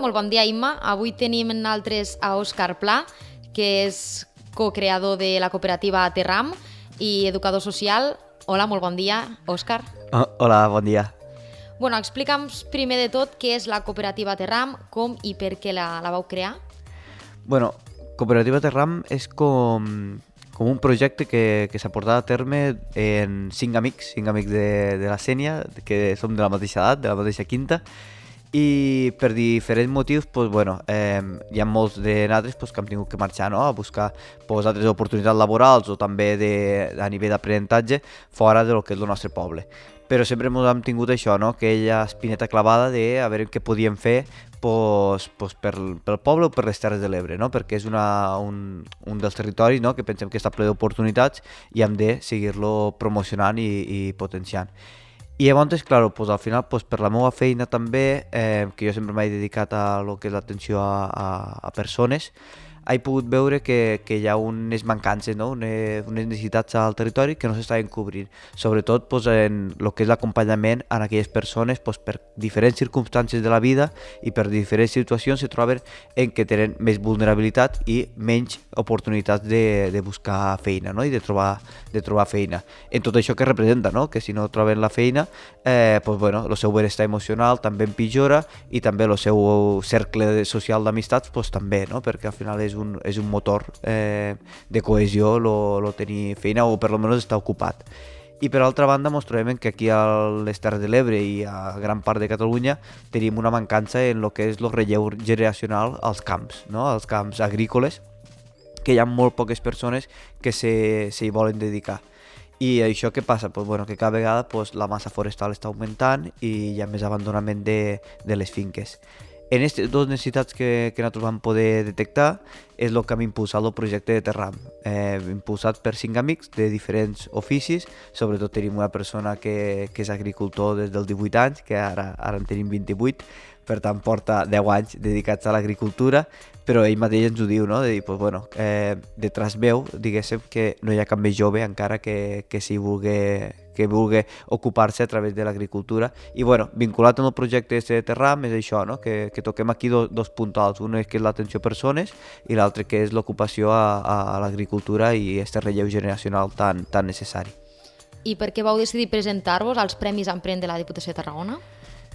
molt bon dia, Imma. Avui tenim en nosaltres a Òscar Pla, que és co-creador de la cooperativa Terram i educador social. Hola, molt bon dia, Òscar. Hola, bon dia. Bueno, explica'ns primer de tot què és la cooperativa Terram, com i per què la vau crear. Bueno, Cooperativa Terram és com un projecte que s'ha portat a terme en cinc amics de la Sénia, que som de la mateixa edat, de la mateixa quinta, i per diferents motius hi ha molts de nosaltres que hem tingut que marxar, no? A buscar altres oportunitats laborals o també a nivell d'aprenentatge fora del que és el nostre poble. Però sempre hem tingut això, no? Aquella espineta clavada de a veure què podíem fer pel poble o per les Terres de l'Ebre, no? Perquè és un dels territoris, no? Que pensem que està ple d'oportunitats i hem de seguir-lo promocionant i potenciant. I llavors, clar, al final, per la meva feina també, que jo sempre m'he dedicat a lo que és l'atenció a persones, he pogut veure que hi ha unes mancances, no? unes necessitats al territori que no s'estaven cobrint, sobretot en el que és l'acompanyament a aquelles persones per diferents circumstàncies de la vida i per diferents situacions se troben en què tenen més vulnerabilitat i menys oportunitats de buscar feina, no? I de trobar feina. En tot això que representa, no? Que si no troben la feina, el seu benestar emocional també empitjora i també el seu cercle social d'amistats també, no? Perquè al final és un motor de cohesió tenir feina o per almenys estar ocupat. I per altra banda trobem que aquí a les Terres de l'Ebre i a gran part de Catalunya tenim una mancança en el que és el relleu generacional als camps, no? Als camps agrícoles, que hi ha molt poques persones que s'hi volen dedicar. I això què passa? Que cada vegada la massa forestal està augmentant i hi ha més abandonament de les finques. En aquestes dues necessitats que nosaltres vam poder detectar és el que hem impulsat el projecte de Terram, impulsat per 5 amics de diferents oficis. Sobretot tenim una persona que és agricultor des dels 18 anys, que ara en tenim 28, per tant porta 10 anys dedicats a l'agricultura, però ell mateix ens ho diu, no? De dir, detrás meu, diguéssim, que no hi ha cap més jove encara que vulgui ocupar-se a través de l'agricultura. I vinculat amb el projecte de Terram és això, no? Que toquem aquí dos puntals, un és que és l'atenció a persones i l'altre que és l'ocupació a l'agricultura i aquest relleu generacional tan necessari. I per què vau decidir presentar-vos als Premis Emprèn de la Diputació de Tarragona?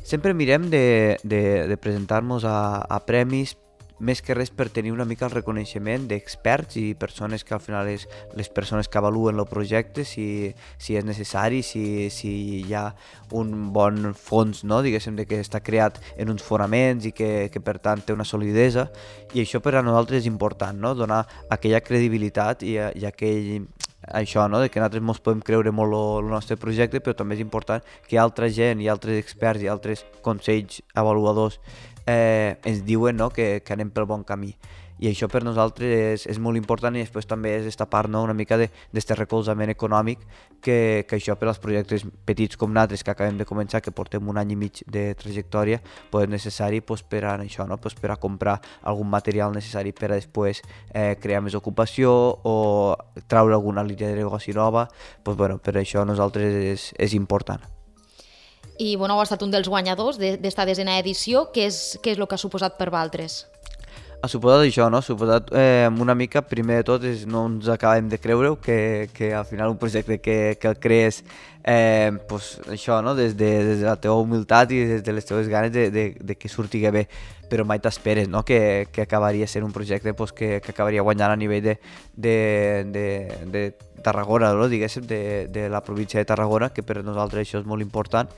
Sempre mirem de presentar-nos a premis més que res per tenir una mica el reconeixement d'experts i persones que al final és les persones que avaluen el projecte, si és necessari, si hi ha un bon fons, no? Diguéssim, que està creat en uns fonaments i que per tant té una solidesa, i això per a nosaltres és important, no? Donar aquella credibilitat i aquell això, no? De que nosaltres ens podem creure molt el nostre projecte, però també és important que altra gent i altres experts i altres consells avaluadors ens diuen, no? que anem pel bon camí. I això per nosaltres és molt important, i després també és esta part, no? Una mica d'aquest recolzament econòmic que això per als projectes petits com nosaltres, que acabem de començar, que portem un any i mig de trajectòria, és necessari per a això, no? Per a comprar algun material necessari per a després crear més ocupació o treure alguna línia de negoci nova. Per això a nosaltres és important. I heu estat un dels guanyadors d'esta 10a edició. Què és el que ha suposat per vosaltres? Ha suposat això, no? Ha suposat una mica, primer de tot, no ens acabem de creure que al final un projecte que el crees això, no? Des de la teva humilitat i des de les teves ganes de que surti bé, però mai t'esperes, no? Que acabaria sent un projecte que acabaria guanyant a nivell de Tarragona, no? Diguéssim, de la província de Tarragona, que per nosaltres això és molt important.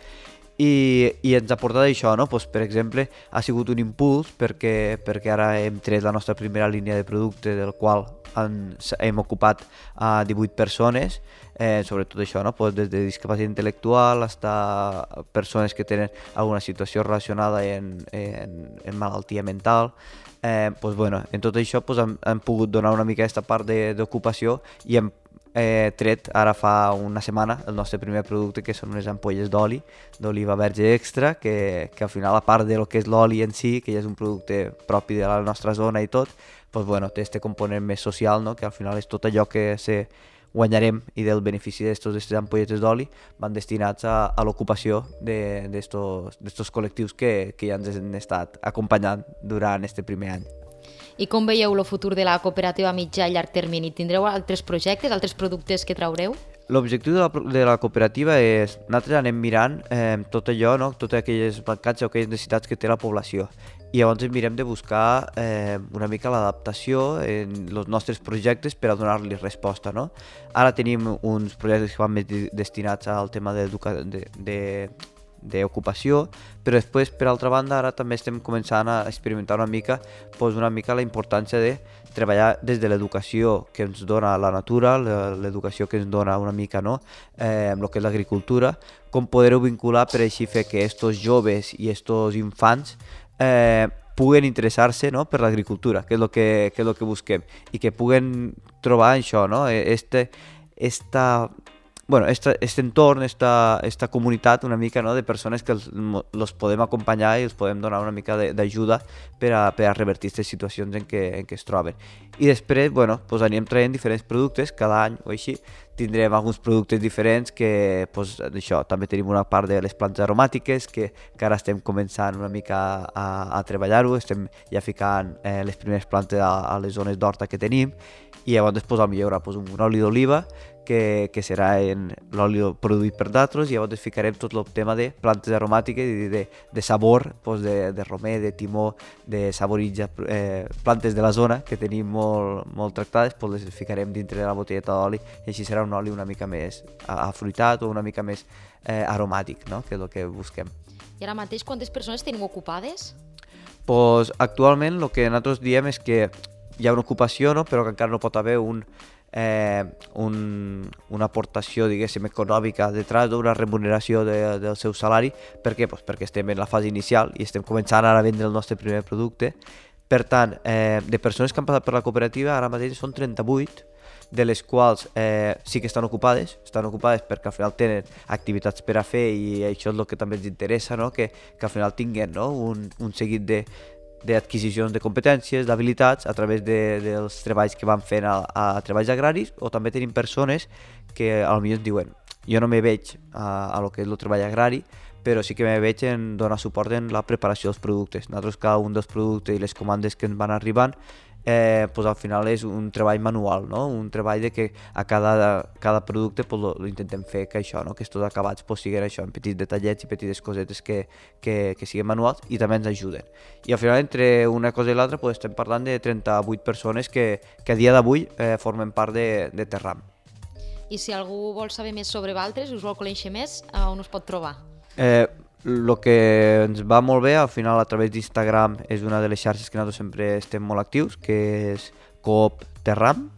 I ens ha portat això, no? Per exemple, ha sigut un impuls perquè ara hem tret la nostra primera línia de producte, del qual hem ocupat a 18 persones, sobretot això, no? Des de discapacitat intel·lectual fins a persones que tenen alguna situació relacionada en malaltia mental. En tot això hem pogut donar una mica aquesta part d'ocupació i hem tret ara fa una setmana el nostre primer producte, que són unes ampolles d'oliva verge extra, que al final, a part del que és l'oli en si, que ja és un producte propi de la nostra zona i tot, té este component més social, no? Que al final és tot allò que guanyarem i del benefici d'aquestes ampolletes d'oli van destinats a l'ocupació d'estos col·lectius que ja ens han estat acompanyant durant aquest primer any. I com veieu el futur de la cooperativa a mitjà i llarg termini? Tindreu altres projectes, altres productes que traureu? L'objectiu de la cooperativa és, nosaltres anem mirant tot allò, no? Totes aquelles mancats o aquelles necessitats que té la població. I llavors mirem de buscar una mica l'adaptació en els nostres projectes per a donar-li resposta, no? Ara tenim uns projectes que van més destinats al tema d'ocupació, però després, per altra banda, ara també estem començant a experimentar una mica la importància de treballar des de l'educació que ens dona la natura, l'educació que ens dona una mica, no? Amb el que és l'agricultura, com poder-ho vincular per així fer que estos joves i estos infants puguen interessar-se, no? Per l'agricultura, que és el que busquem, i que puguen trobar això, no? Este entorn, esta comunitat una mica, no? De persones que els podem acompanyar i els podem donar una mica d'ajuda per a revertir aquestes situacions en què es troben. I després, pues anirem traient diferents productes, cada any o així, tindrem alguns productes diferents que, això, també tenim una part de les plantes aromàtiques que ara estem començant una mica a treballar-ho, estem ja ficant les primeres plantes a les zones d'horta que tenim, i llavors potser hi haurà un oli d'oliva que serà l'oli produït per nosaltres, i llavors ficarem tot el tema de plantes aromàtiques i de sabor, de romer, de timó, de saboritja, plantes de la zona que tenim molt tractades, les ficarem dintre de la botelleta d'oli, i així serà un oli una mica més afruitat o una mica més aromàtic, no? Que és el que busquem. I ara mateix quantes persones teniu ocupades? Actualment el que nosaltres diem és que hi ha una ocupació, no? Però que encara no pot haver una aportació, diguéssim, econòmica detrás d'una remuneració del seu salari. Per què? Perquè estem en la fase inicial i estem començant ara a vendre el nostre primer producte. Per tant, de persones que han passat per la cooperativa, ara mateix són 38, de les quals sí que estan ocupades perquè al final tenen activitats per a fer, i això és el que també ens interessa, no? Que al final tinguin, no? un seguit d'adquisicions de competències, d'habilitats a través dels treballs que van fent a treballs agraris, o també tenim persones que potser ens diuen jo no me veig a lo que és el treball agrari, però sí que me veig en donar suport en la preparació dels productes. Nosaltres cada un dels productes i les comandes que ens van arribant al final és un treball manual, no? Un treball de que a cada producte lo intentem fer que això, no? Que estos acabats siguin això, en petits detallets i petites cosetes que siguin manuals i també ens ajuden. I al final, entre una cosa i l'altra, estem parlant de 38 persones que a dia d'avui formen part de Terram. I si algú vol saber més sobre Valtres, us vol conèixer més, on us pot trobar? El que ens va molt bé, al final, a través d'Instagram, és una de les xarxes que nosaltres sempre estem molt actius, que és Coop Terram,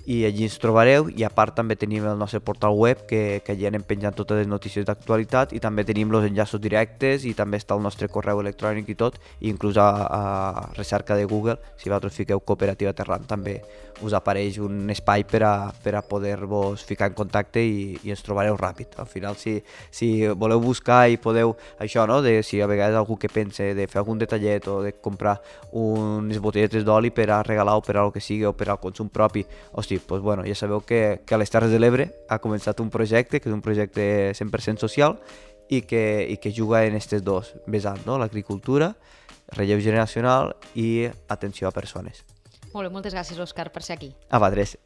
i allí ens trobareu. I a part també tenim el nostre portal web, que allí anem penjant totes les notícies d'actualitat, i també tenim els enllaços directes, i també està el nostre correu electrònic i tot, i inclús a recerca de Google, si vosaltres fiqueu Cooperativa Terram, també us apareix un espai per a poder-vos ficar en contacte i ens trobareu ràpid. Al final, si voleu buscar i podeu, això, no? Si a vegades algú que pensa de fer algun detallet o de comprar unes botelletes d'oli per a regalar o per a el que sigui o per al consum propi, ja sabeu que a les Terres de l'Ebre ha començat un projecte, que és un projecte 100% social i que juga en aquests dos vessants, no? L'agricultura, relleu generacional i atenció a persones. Molt bé, moltes gràcies, Òscar, per ser aquí. A vosaltres.